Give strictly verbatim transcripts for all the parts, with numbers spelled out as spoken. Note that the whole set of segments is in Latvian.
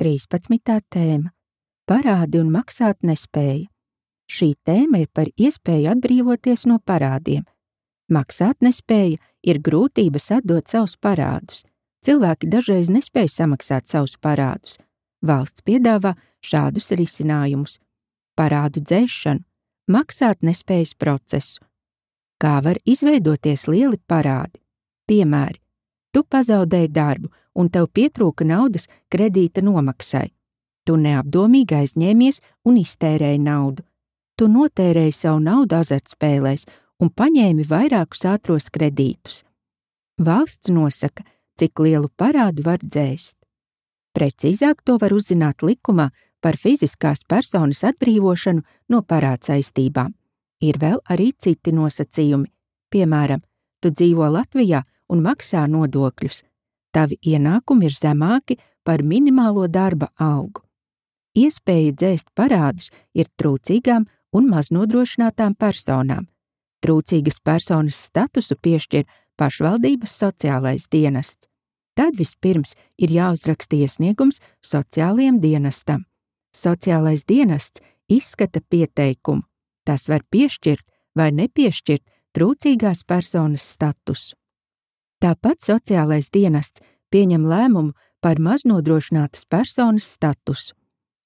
trīspadsmitā tēma – Parādi un maksāt nespēja. Šī tēma ir par iespēju atbrīvoties no parādiem. Maksāt nespēja ir grūtības atdot savus parādus. Cilvēki dažreiz nespēj samaksāt savus parādus. Valsts piedāvā šādus risinājumus: parādu dzēšanu, maksāt nespējas procesu. Kā var izveidoties lieli parādi? Piemēri: tu pazaudēji darbu un tev pietrūka naudas kredīta nomaksai. Tu neapdomīgi aizņēmies un iztērēji naudu. Tu notērēji savu naudu azartspēlēs un paņēmi vairākus ātros kredītus. Valsts nosaka, cik lielu parādu var dzēst. Precīzāk to var uzzināt likumā par fiziskās personas atbrīvošanu no parādsaistībām. Ir vēl arī citi nosacījumi. Piemēram, tu dzīvo Latvijā un maksā nodokļus. Tavi ienākumi ir zemāki par minimālo darba algu. Iespēja dzēst parādus ir trūcīgām un maznodrošinātām personām. Trūcīgas personas statusu piešķir pašvaldības sociālais dienests. Tad vispirms ir jāuzraksta iesniegums sociālajiem dienestam. Sociālais dienests izskata pieteikumu. Tas var piešķirt vai nepiešķirt trūcīgās personas statusu. Tāpat sociālais dienests pieņem lēmumu par maznodrošinātas personas statusu.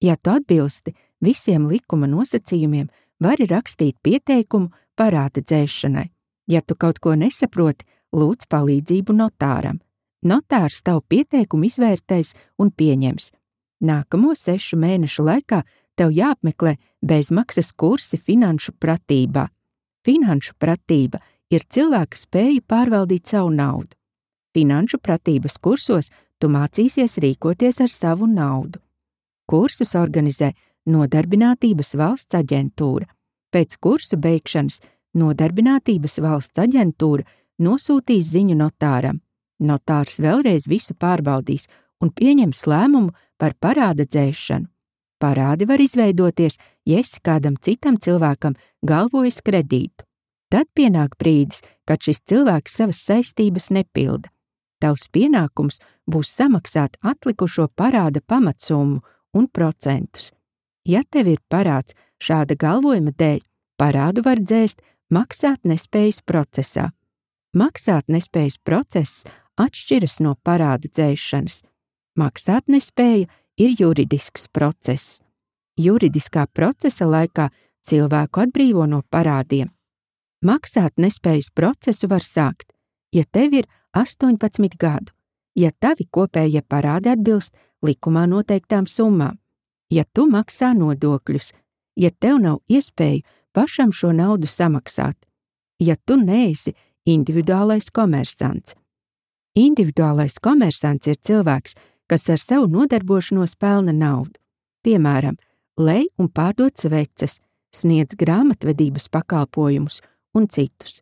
Ja tu atbilsti visiem likuma nosacījumiem, vari rakstīt pieteikumu parāda dzēšanai. Ja tu kaut ko nesaproti, lūdz palīdzību notāram. Notārs tavu pieteikumu izvērtēs un pieņems. Nākamo sešu mēnešu laikā tev jāapmeklē bezmaksas kursi finanšu pratībā. Finanšu pratība ir cilvēka spēja pārvaldīt savu naudu. Finanšu pratības kursos tu mācīsies rīkoties ar savu naudu. Kursus organizē Nodarbinātības valsts aģentūra. Pēc kursu beigšanas Nodarbinātības valsts aģentūra nosūtīs ziņu notāram. Notārs vēlreiz visu pārbaudīs un pieņems lēmumu par parāda dzēšanu. Parādi var izveidoties, ja esi kādam citam cilvēkam galvojis kredītu. Tad pienāk brīdis, kad šis cilvēks savas saistības nepilda. Tavs pienākums būs samaksāt atlikušo parāda pamatsummu un procentus. Ja tev ir parāds šāda galvojuma dēļ, parādu var dzēst maksāt nespējas procesā. Maksāt nespējas process atšķiras no parādu dzēšanas. Maksāt nespēja ir juridisks process. Juridiskā procesa laikā cilvēku atbrīvo no parādiem. Maksāt nespējas procesu var sākt, ja tev ir astoņpadsmit gadu, ja tavi kopējie parādi atbilst likumā noteiktām summām, ja tu maksā nodokļus, ja tev nav iespēju pašam šo naudu samaksāt, ja tu neesi individuālais komersants. Individuālais komersants ir cilvēks, kas ar savu nodarbošanos pelna naudu. Piemēram, lej un pārdod sveces, sniedz grāmatvedības pakalpojumus un citus.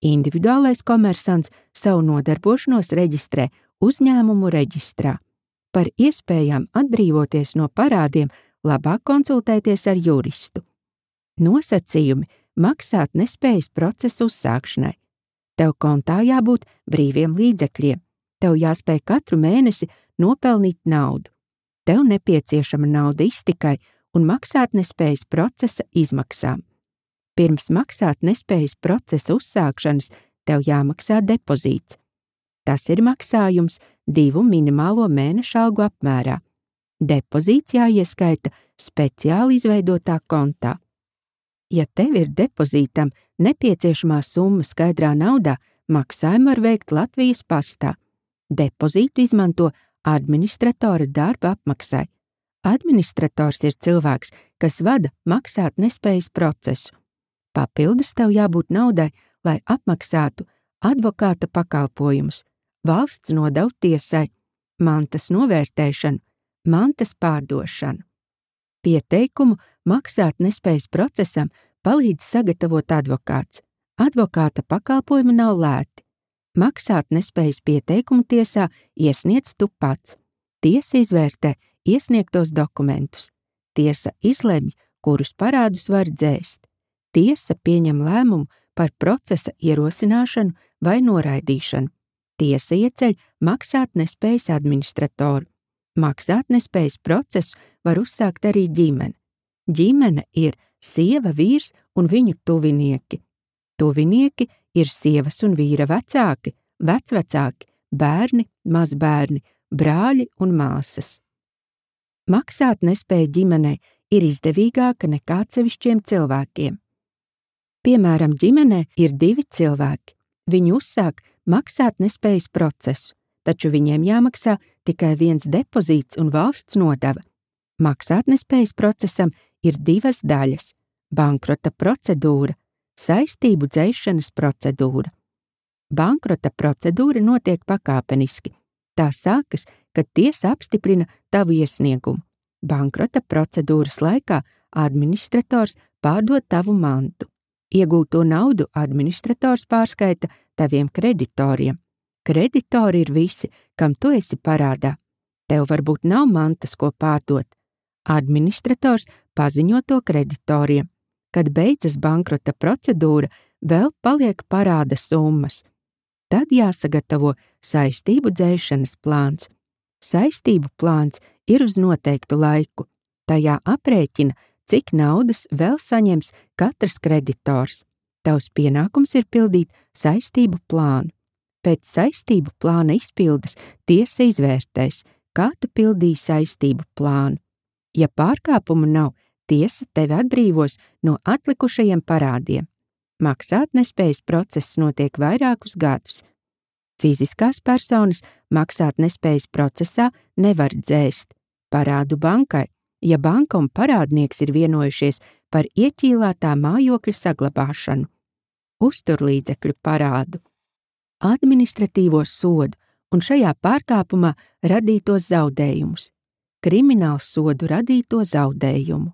Individuālais komersants savu nodarbošanos reģistrē uzņēmumu reģistrā. Par iespējām atbrīvoties no parādiem labāk konsultēties ar juristu. Nosacījumi maksāt nespējas procesu uzsākšanai. Tev kontā jābūt brīviem līdzekļiem. Tev jāspēj katru mēnesi nopelnīt naudu. Tev nepieciešama nauda iztikai un maksāt nespējas procesa izmaksām. Pirms maksāt nespējas procesa uzsākšanas tev jāmaksā depozīts. Tas ir maksājums divu minimālo mēnešu algu apmērā. Depozīts jāieskaita speciāli izveidotā kontā. Ja tev ir depozītam nepieciešamā summa skaidrā naudā, maksājumu var veikt Latvijas pastā. Depozītu izmanto administratora darba apmaksai. Administrators ir cilvēks, kas vada maksāt nespējas procesu. Papildus tev jābūt naudai, lai apmaksātu advokāta pakalpojumus, valsts nodevu tiesai, mantas novērtēšanu, mantas pārdošanu. Pieteikumu maksāt nespējas procesam palīdz sagatavot advokāts. Advokāta pakalpojumi nav lēti. Maksāt nespējas pieteikumu tiesā iesniedz tu pats. Tiesa izvērtē iesniegtos dokumentus. Tiesa izlemj, kurus parādus var dzēst. Tiesa pieņem lēmumu par procesa ierosināšanu vai noraidīšanu. Tiesa ieceļ maksāt nespējas administratoru. Maksātnespējas procesu var uzsākt arī ģimene. Ģimene ir sieva, vīrs un viņu tuvinieki. Tuvinieki ir sievas un vīra vecāki, vecvecāki, bērni, mazbērni, brāļi un māsas. Maksātnespēja ģimenei ir izdevīgāka nekā atsevišķiem cilvēkiem. Piemēram, ģimenē ir divi cilvēki. Viņi uzsāk maksātnespējas procesu, taču viņiem jāmaksā tikai viens depozīts un valsts nodeva. Maksātnespējas procesam ir divas daļas – bankrota procedūra, saistību dzēšanas procedūra. Bankrota procedūra notiek pakāpeniski. Tā sākas, kad tiesa apstiprina tavu iesniegumu. Bankrota procedūras laikā administrators pārdod tavu mantu. Iegūto naudu administrators pārskaita taviem kreditoriem. Kreditori ir visi, kam tu esi parādā. Tev varbūt nav mantas, ko pārdot. Administrators paziņo to kreditoriem. Kad beidzas bankrota procedūra, vēl paliek parāda summas. Tad jāsagatavo saistību dzēšanas plāns. Saistību plāns ir uz noteiktu laiku. Tajā aprēķina, cik naudas vēl saņems katrs kreditors. Tavs pienākums ir pildīt saistību plānu. Pēc saistību plāna izpildes tiesa izvērtēs, kā tu pildīji saistību plānu. Ja pārkāpumu nav, tiesa tevi atbrīvos no atlikušajiem parādiem. Maksātnespējas process notiek vairākus gadus. Fiziskās personas maksātnespējas procesā nevar dzēst parādu bankai, ja banka un parādnieks ir vienojušies par ieķīlātā mājokļa saglabāšanu, uzturlīdzekļu parādu, administratīvo sodu un šajā pārkāpumā radītos zaudējumus, kriminālu sodu radīto zaudējumu.